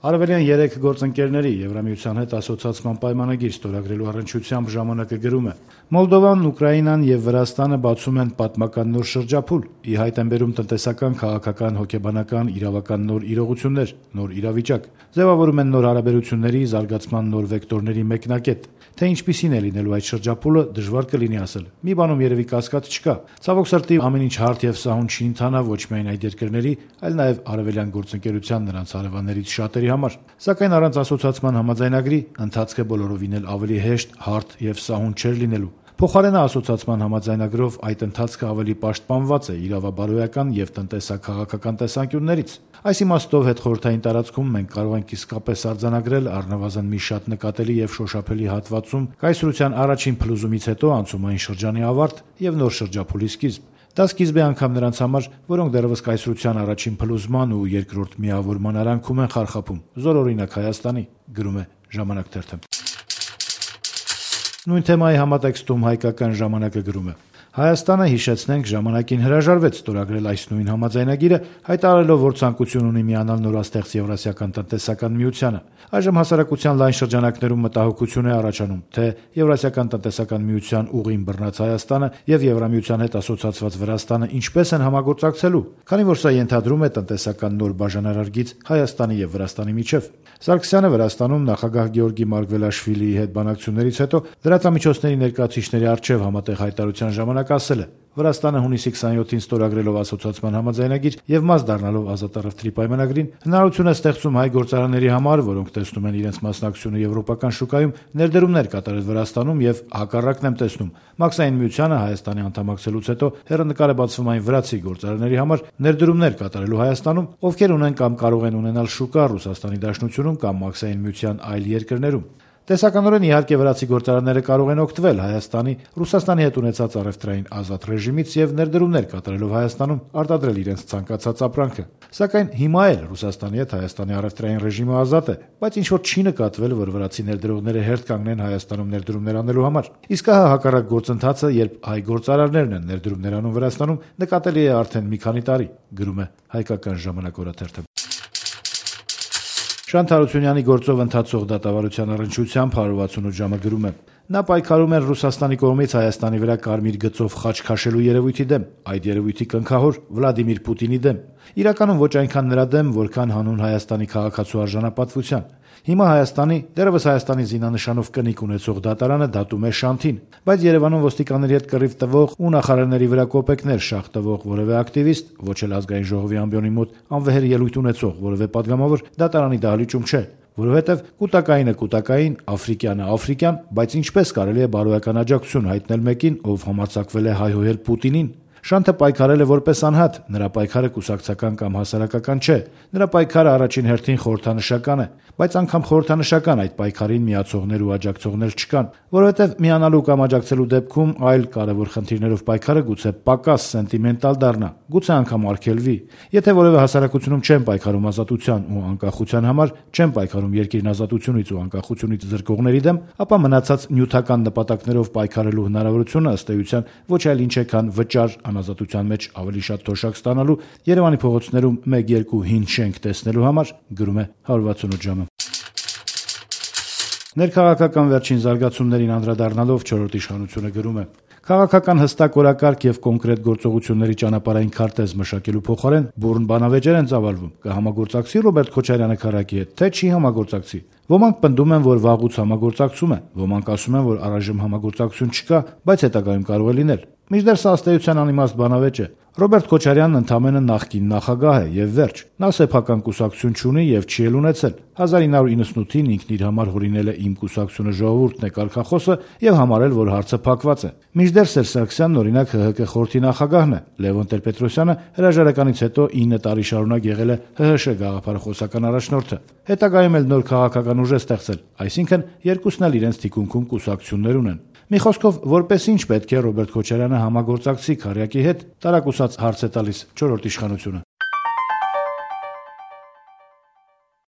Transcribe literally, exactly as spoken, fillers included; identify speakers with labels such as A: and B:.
A: Արևելյան երեք գործընկերների Եվրամիության հետ ասոցիացման պայմանագիր ստորագրելու առնչությամբ ժամանակը գրում է. Մոլդովան, Ուկրաինան եւ Վրաստանը բացում են պատմական նոր շրջափուլ, ի հայտ են բերում տնտեսական, քաղաքական, հոգեբանական, իրավական նոր իրողություններ, նոր իրավիճակ, ձևավորում են նոր հարաբերությունների զարգացման նոր վեկտորների մեկնակետ, թե ինչպիսին է լինելու այդ շրջափուլը դժվար կլինի ասել։ Մի բանում երևի կասկած չկա։ Ցավոք սրտի ամեն ինչ հարթ եւ սահուն չի ընթանա ոչ միայն այդ երկրների, այլ նաեւ արևելյան գործընկերության նրանց հարևաններից շատերի համար, սակայն առանց ասոցիացման համաձայնագրի ընթացքը բոլորովին էլ ավելի հեշտ, հարթ եւ սահուն չէր լինելու։ Փոխարենը ասոցիացման համաձայնագրով այդ ընթացքը ավելի պաշտպանված է իրավաբարոյական եւ տնտեսա-քաղաքական տեսանկյուններից։ Այս իմաստով հետխորհրդային տարածքում մենք կարող ենք իսկապես արձանագրել առնվազն մի շատ նկատելի եւ շոշափելի հատվածում կայսրության առաջին փլուզումից հետո անցումային շրջանի ավարտ եւ նոր շրջափուլի սկիզբ։ Դա սկիզբ է անգամ նրանց համար, որոնք դեռևս կայսրության առաջին փլուզման ու երկրորդ միավորման արանքում են խարխափում, զորօրինակ Հայաստանի, գրում է Ժամանակ թերթը։ Նույն թեմայի համատեքստում հայկական ժամանակը գրում է. Հայաստանը, հիշեցնենք, ժամանակին հրաժարվեց ստորագրել այս նույն համաձայնագիրը, հայտարարելով, որ ցանկություն ունի միանալ նորաստեղծ Եվրասիական տնտեսական միությանը։ Այժմ հասարակության լայն շրջանակներում մտահոգություն է առաջանում, թե Եվրասիական տնտեսական միության ուղին բռնած Հայաստանը եւ Եվրամիության հետ ասոցիացված Վրաստանը ինչպես են համագործակցելու, քանի որ սա ենթադրում է տնտեսական նոր բաժանարարգիծ Հայաստանի եւ Վրաստանի միջեւ։ Սարգսյանը Վրաստանում նախագահ Գեորգի Մարգվելաշվիլիի հետ բանակցություններից հետո լրատվամիջոցների ներկայացուցիչների առջև համատեղ հայտարարության ժամանակ ասել է. Վրաստանը հունիսի քսաներկուին ստորագրելով ասոցիացման համաձայնագիր եւ մաս դառնալով ազատառևտրի պայմանագրին հնարավորություն է ստեղծում հայ գործարանների համար, որոնք տեսնում են իրենց մասնակցությունը եվրոպական շուկայում, ներդրումներ կատարել Վրաստանում եւ հակառակն եմ տեսնում։ Մաքսային միությանը Հայաստանի անդամակցելուց հետո հեռանկար է բացվում այն վրացի գործարանների համար ներդրումներ կատարելու Հայաստանում, ովքեր ունեն կամ կարող են ունենալ շուկա Ռուսաստանի Դաշնությունում կամ Մաքսային միության այլ երկրներում։ Տեսականորեն իհարկե վրացի գործարանները կարող են օգտվել Հայաստանի Ռուսաստանի հետ ունեցած առևտրային ազատ ռեժիմից եւ ներդրումներ կատարելով Հայաստանում արտադրել իրենց ցանկացած ապրանքը։ Սակայն հիմա էլ Ռուսաստանի հետ Հայաստանի առևտրային ռեժիմը ազատ է, բայց ինչ որ չի նկատվել, որ վրացի ներդրողները հերթ կանգնեն Հայաստանում ներդրումներ անելու համար։ Իսկ հա հակառակ գործընթացը, երբ հայ գործարարներն են ներդրումներ անում Վրաստանում, նկատելի է արդեն մի քանի տարի, գրում է Հայկական ժամանակ օրաթերթը։ Շանթ Հարությունյանի գործով ընթացող դատավարության առնչությամբ հարյուր վաթսունութ ժամը գրում է. Նա պայքարում էր Ռուսաստանի կողմից Հայաստանի վրա կարմիր գծով խաչ քաշելու երևույթի դեմ, այդ երևույթի կնքահոր Վլադիմիր Պուտինի դեմ։ Իրականում ոչ այնքան նրա դեմ, որքան հանուն Հայաստանի քաղաքացու արժանապատվության։ Հիմա Հայաստանի, դեռևս Հայաստանի զինանշանով կնիկ ունեցող դատարանը դատում է Շանթին, բայց Երևանում ոստիկանների հետ կռիվ տվող ու նախարարների վրա կոպեկներ շաղ տվող որևէ ակտիվիստ, ոչ էլ ազգային ժողովի ամբիոնի մոտ անվեհեր ելույթ ունեցող որևէ падգամավոր դատարանի դահլիճում չէ, որովհետև կուտակայինը կուտակային, աֆրիկյանը աֆրիկյան, բայց ինչպես կարելի է բարոյական աջակցություն հայտնել մեկին, ով համարձակվել է հայհոյել Պուտինին։ Շանթը պայքարել է որպես անհատ, նրա պայքարը կուսակցական կամ հասարակական չէ, նրա պայքարը առաջին հերթին խորհրդանշական է, բայց անգամ խորհրդանշական այդ պայքարին միացողներ ու աջակցողներ չկան, որովհետև միանալու կամ աջակցելու դեպքում այլ կարևոր խնդիրներով պայքարը գուցե պակաս սենտիմենտալ դառնա, գուցե անգամ արգելվի։ Եթե որևէ հասարակությունում չեն պայքարում ազատության ու անկախության համար, չեն պայքարում երկիրն ազատությունից ու անկախությունից զրկողների դեմ, ապա մնացած նյութական նպատակներով պայքարելու հնարավորությունը ըստ էության ոչ այլ ինչ է, քան վճար անազատության մեջ ավելի շատ թոշակ ստանալու, Երևանի փողոցներում մեկ-երկու հին շենք տեսնելու համար, գրում է հարյուր վաթսունութ ժամը։ Ներքաղաքական վերջին զարգացումներին անդրադառնալով չորրորդ իշխանությունը գրում է. Քաղաքական հստակ օրակարգ եւ կոնկրետ գործողությունների ճանապարհային քարտեզ մշակելու փոխարեն բուռն բանավեճեր են ծավալվում։ Կհամագործակցի Ռոբերտ Քոչարյանը քարակի հետ, թե չի համագործակցի։ Ոմանք պնդում են, որ վաղուց համագործակցում է, ոմանք ասում են, որ առայժմ համագործակցություն չկա, բայց հետագայում կարող է լինել։ Մինչդեռ սա ըստ էության անիմաստ բանավեճ է։ Ռոբերտ Քոչարյանն ընդամենը նախկին նախագահ է եւ վերջ։ Նա սեփական կուսակցություն չունի եւ չի էլ ունեցել։ հազար ինը հարյուր իննսունութին ինքն իր համար հորինել է Իմ կուսակցությունը ժողովուրդն է կարգախոսը եւ համարել, որ հարցը փակված է։ Մինչդեռ Սերժ Սարգսյանն օրինակ ՀՀԿ խորհրդի նախագահն է։ Լևոն Տեր-Պետրոսյանը հրաժարականից հետո ինը տարի շարունակ եղել է ՀՀՇ գաղափարախոսական առաջնորդը։ Հետագայում էլ նոր քաղաքական ուժ է ստեղծել, այսինքն երկուսն էլ իրենց թիկունքում կուսակցություններ ունեն։ Մի խոսքով, որպես ինչ պետք է Ռոբերտ Քոչարյանը համագործակցի քարյակի հետ, տարակուսած հարց է տալիս չորրորդ իշխանությունը։